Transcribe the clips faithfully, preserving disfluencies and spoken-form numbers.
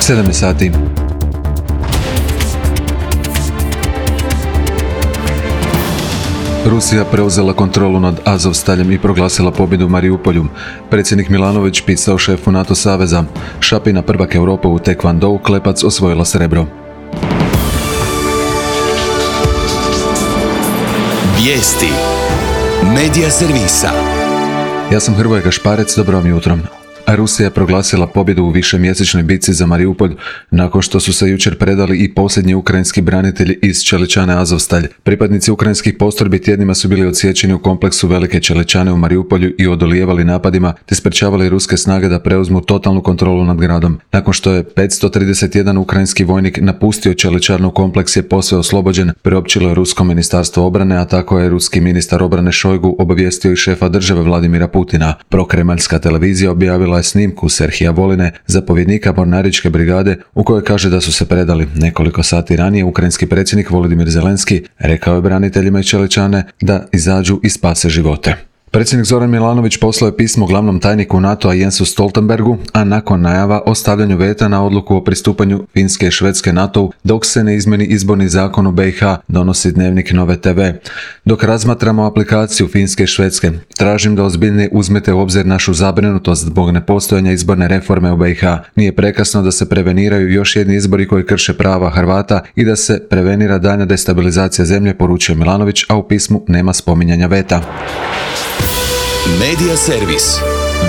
sedam je sati. Rusija preuzela kontrolu nad Azovstaljem i proglasila pobjedu u Mariupolju. Predsjednik Milanović pisao šefu NATO saveza. Šapina, prvak Europe u tekvandou, Klepac osvojila srebro. Vijesti Medija servisa. Ja sam Hrvoje Gašparec, dobro vam jutro. Rusija je proglasila pobjedu u višemjesečnoj bitci za Mariupolj nakon što su se jučer predali i posljednji ukrajinski branitelji iz Čeličane Azovstalj. Pripadnici ukrajinskih postrojbi tjednima su bili odsječeni u kompleksu Velike Čeličane u Mariupolju i odolijevali napadima te sprečavali ruske snage da preuzmu totalnu kontrolu nad gradom. Nakon što je petsto trideset jedan ukrajinski vojnik napustio Čeličanu, kompleks je posve oslobođen, priopćilo je Rusko ministarstvo obrane, a tako je ruski ministar obrane Šojgu obavijestio i šefa države Vladimira Putina. Prokremaljska televizija objavila je snimku Serhija Voline, zapovjednika mornaričke brigade, u kojoj kaže da su se predali. Nekoliko sati ranije ukrajinski predsjednik Volodimir Zelenski rekao je braniteljima iz Čeličane da izađu i spase živote. Predsjednik Zoran Milanović poslao je pismo glavnom tajniku NATO-a Jensu Stoltenbergu, a nakon najava o stavljanju veta na odluku o pristupanju Finske i Švedske NATO-u dok se ne izmjeni izborni zakon u B i H, donosi Dnevnik Nove te ve. Dok razmatramo aplikaciju Finske i Švedske, tražim da ozbiljnije uzmete u obzir našu zabrinutost zbog nepostojanja izborne reforme u B i H. Nije prekasno da se preveniraju još jedni izbori koji krše prava Hrvata i da se prevenira daljnja destabilizacija zemlje, poručio Milanović, a u pismu nema spominjanja veta. Medija servis.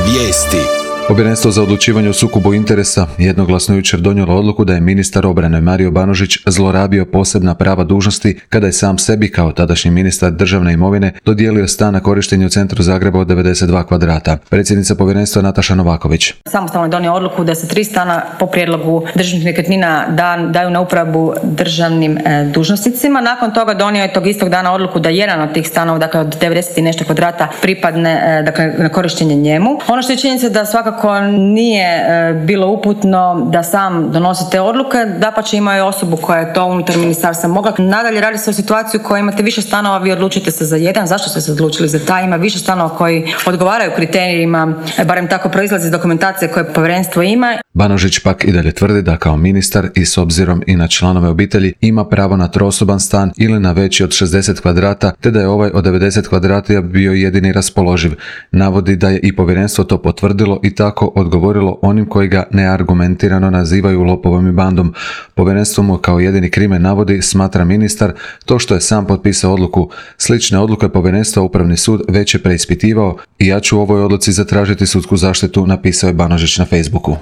Vijesti. Povjerenstvo za odlučivanje o sukobu interesa jednoglasno jučer donijelo odluku da je ministar obrane Mario Banožić zlorabio posebna prava dužnosti kada je sam sebi kao tadašnji ministar državne imovine dodijelio stan na korištenje u centru Zagreba od devedeset dva kvadrata. Predsjednica povjerenstva Nataša Novaković. Samostalno je donio odluku da se tri stana po prijedlogu državnih nekretnina da, daju na uporabu državnim e, dužnosnicima. Nakon toga donio je tog istog dana odluku da jedan od tih stanova, dakle od devedeset i nešto kvadrata, pripadne e, dakle, na korištenje njemu. Ono što je činjenica da svakako Ako nije e, bilo uputno da sam donosi te odluke, dapače imao je osobu koja je to unutar ministarstva mogla. Nadalje radi se o situaciju u kojoj imate više stanova, vi odlučite se za jedan. Zašto ste se odlučili za taj? Ima više stanova koji odgovaraju kriterijima, barem tako proizlazi iz dokumentacije koje povjerenstvo ima. Banožić pak i dalje tvrdi da kao ministar i s obzirom i na članove obitelji ima pravo na trosoban stan ili na veći od šezdeset kvadrata, te da je ovaj od devedeset kvadrata bio jedini raspoloživ. Navodi da je i povjerenstvo to potvrdilo i tako odgovorilo onim koji ga neargumentirano nazivaju lopovom i bandom. Povjerenstvo mu kao jedini krimen navodi, smatra ministar, to što je sam potpisao odluku. Slične odluke povjerenstva Upravni sud već je preispitivao i ja ću u ovoj odluci zatražiti sudsku zaštitu, napisao je Banožić na Facebooku.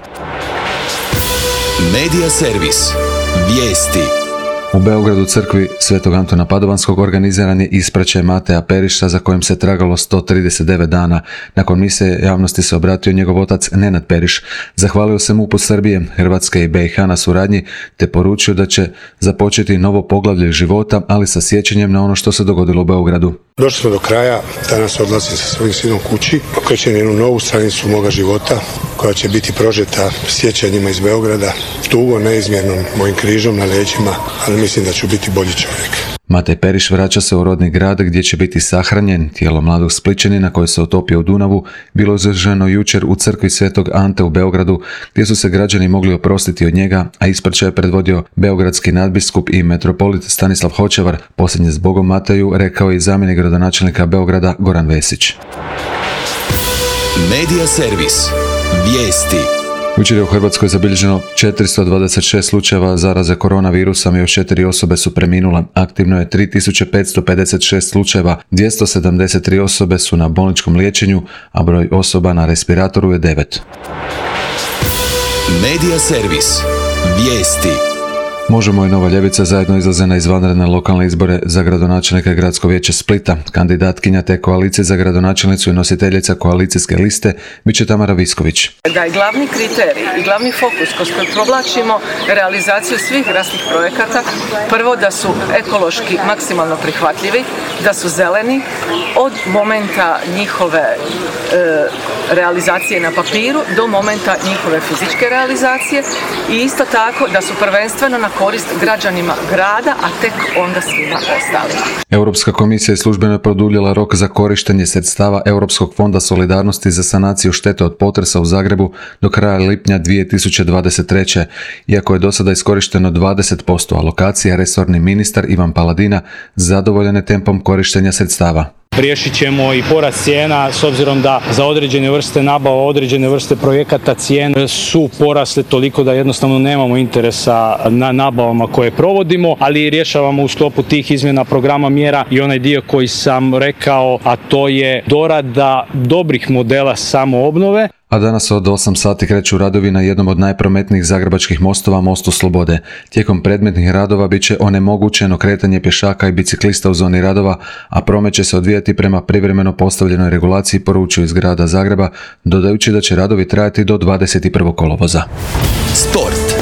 Medija servis. Vijesti. U Beogradu crkvi Svetog Antuna Padovanskog organiziran je ispraćaj Mateja Periša za kojim se tragalo sto trideset devet dana. Nakon mise javnosti se obratio njegov otac Nenad Periš. Zahvalio se MUP-u Srbije, Hrvatske i B i H na suradnji te poručio da će započeti novo poglavlje života, ali sa sjećanjem na ono što se dogodilo u Beogradu. Došli smo do kraja, danas odlazim sa svojim sinom kući, okrećem jednu novu stranicu moga života koja će biti prožeta sjećanjima iz Beograda, tugo neizmjernom mojim križom na leđima, ali mislim da ću biti bolji čovjek. Matej Periš vraća se u rodni grad gdje će biti sahranjen. Tijelo mladog Splićanina koje se otopio u Dunavu bilo izloženo jučer u crkvi Svetog Ante u Beogradu, gdje su se građani mogli oprostiti od njega, a ispraćaj je predvodio beogradski nadbiskup i metropolit Stanislav Hočevar. Posljednje zbogom Mateju rekao je i zamjenik gradonačelnika Beograda Goran Vesić. Medija servis. Vijesti. Jučer je u Hrvatskoj zabilježeno četiristo dvadeset šest slučajeva zaraze koronavirusom i još četiri osobe su preminule. Aktivno je tri tisuće petsto pedeset šest slučajeva, dvjesto sedamdeset tri osobe su na bolničkom liječenju, a broj osoba na respiratoru je devet. Medija servis. Vijesti. Možemo i Nova Ljevica zajedno izlaze na izvanredne lokalne izbore za gradonačelnika Gradsko vijeće Splita. Kandidatkinja te koalicije za gradonačelnicu i nositeljica koalicijske liste bit će Tamara Visković. Da je glavni kriterij i glavni fokus kroz koji provlačimo realizaciju svih gradskih projekata, prvo da su ekološki maksimalno prihvatljivi, da su zeleni od momenta njihove e, realizacije na papiru do momenta njihove fizičke realizacije i isto tako da su prvenstveno na korist građanima grada, a tek onda svima ostalima. Europska komisija je službeno produljila rok za korištenje sredstava Europskog fonda solidarnosti za sanaciju štete od potresa u Zagrebu do kraja lipnja dvije tisuće dvadeset treće. Iako je do sada iskorišteno dvadeset posto alokacija, resorni ministar Ivan Paladina zadovoljan je tempom korištenja sredstava. Riješit ćemo i porast cijena s obzirom da za određene vrste nabava, određene vrste projekata cijene su porasle toliko da jednostavno nemamo interesa na nabavama koje provodimo, ali rješavamo u sklopu tih izmjena programa mjera i onaj dio koji sam rekao, a to je dorada dobrih modela samoobnove. A danas od osam sati kreću radovi na jednom od najprometnijih zagrebačkih mostova, mostu Slobode. Tijekom predmetnih radova bit će onemogućeno kretanje pješaka i biciklista u zoni radova, a promet će se odvijati prema privremeno postavljenoj regulaciji, poručuju iz grada Zagreba, dodajući da će radovi trajati do dvadeset prvog kolovoza. Sport.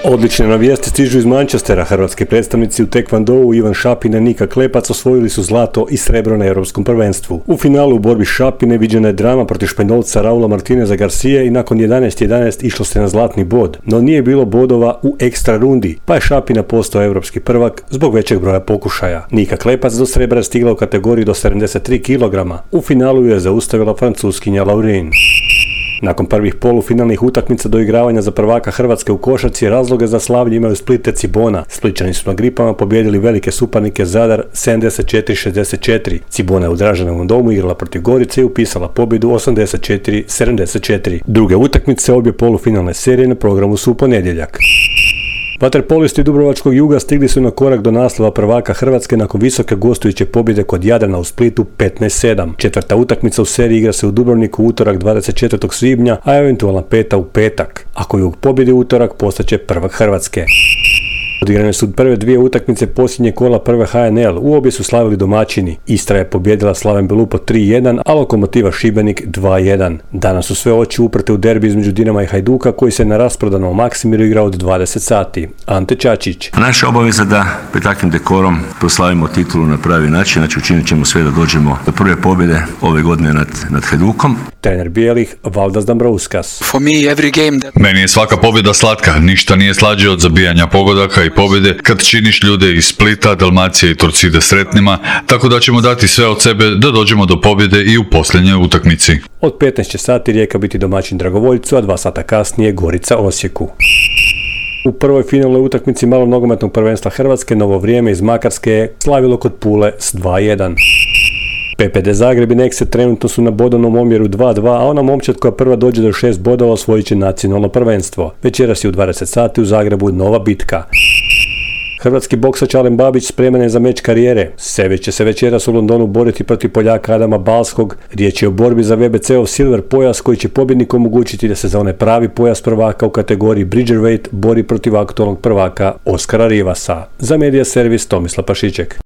Odlične vijesti stižu iz Manchestera. Hrvatski predstavnici u tekvandou Ivan Šapina i Nika Klepac osvojili su zlato i srebro na Europskom prvenstvu. U finalu u borbi Šapine viđena je drama protiv Španjolca Raula Martineza Garcije i nakon jedanaest jedanaest išlo se na zlatni bod, no nije bilo bodova u ekstra rundi, pa je Šapina postao europski prvak zbog većeg broja pokušaja. Nika Klepac do srebra stigla u kategoriji do sedamdeset tri kilograma. U finalu je zaustavila Francuskinja Laurin. Nakon prvih polufinalnih utakmica doigravanja za prvaka Hrvatske u košarci, razloge za slavlje imaju Splite Cibona. Spličani su na Gripama pobijedili velike suparnike Zadar sedamdeset četiri šezdeset četiri. Cibona je u Draženovom domu igrala protiv Gorice i upisala pobjedu osamdeset četiri sedamdeset četiri. Druge utakmice obje polufinalne serije na programu su u ponedjeljak. Vaterpolisti Dubrovačkog Juga stigli su na korak do naslova prvaka Hrvatske nakon visoke gostujuće pobjede kod Jadrana u Splitu petnaest sedam. Četvrta utakmica u seriji igra se u Dubrovniku u utorak dvadeset četvrtog svibnja, a eventualna peta u petak. Ako Jug pobjedi u utorak, postaće prvak Hrvatske. Odigrane su prve dvije utakmice posljednje kola prve H N L. U obje su slavili domaćini. Istra je pobjedila Slaven Belupo tri jedan, a Lokomotiva Šibenik dva jedan. Danas su sve oči uprte u derbi između Dinama i Hajduka koji se na rasprodanom Maksimiru igra od dvadeset sati. Ante Čačić. Naša obaveza da pred takvim dekorom proslavimo titulu na pravi način, znači učinit ćemo sve da dođemo do prve pobjede ove godine nad, nad Hajdukom. Trener bijelih Valdas Dambrauskas. Meni je svaka pobjeda slatka, ništa nije slađe od zabijanja pogodaka i pobjede kad činiš ljude iz Splita, Dalmacije i Torcide sretnima, tako da ćemo dati sve od sebe da dođemo do pobjede i u posljednjoj utakmici. Od petnaest sati Rijeka biti domaćin Dragovoljcu, a dva sata kasnije Gorica Osijeku. U prvoj finalnoj utakmici malog nogometnog prvenstva Hrvatske Novo Vrijeme iz Makarske je slavilo kod Pule s dva jedan. P P D Zagreb i Nexe trenutno su na bodovnom omjeru dva dva, a ona momčad koja prva dođe do šest bodova osvojit će nacionalno prvenstvo. Večeras je u dvadeset sati u Zagrebu nova bitka. Hrvatski boksač Alen Babić spreman je za meč karijere. Sević će se večeras u Londonu boriti protiv Poljaka Adama Balskog. Riječ je o borbi za V B C-ov silver pojas koji će pobjedniku omogućiti da se za onaj pravi pojas prvaka u kategoriji Bridgerweight bori protiv aktualnog prvaka Oskara Rivasa. Za Medija Servis Tomislav Pašiček.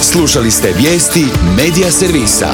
Slušali ste vijesti Medija Servisa.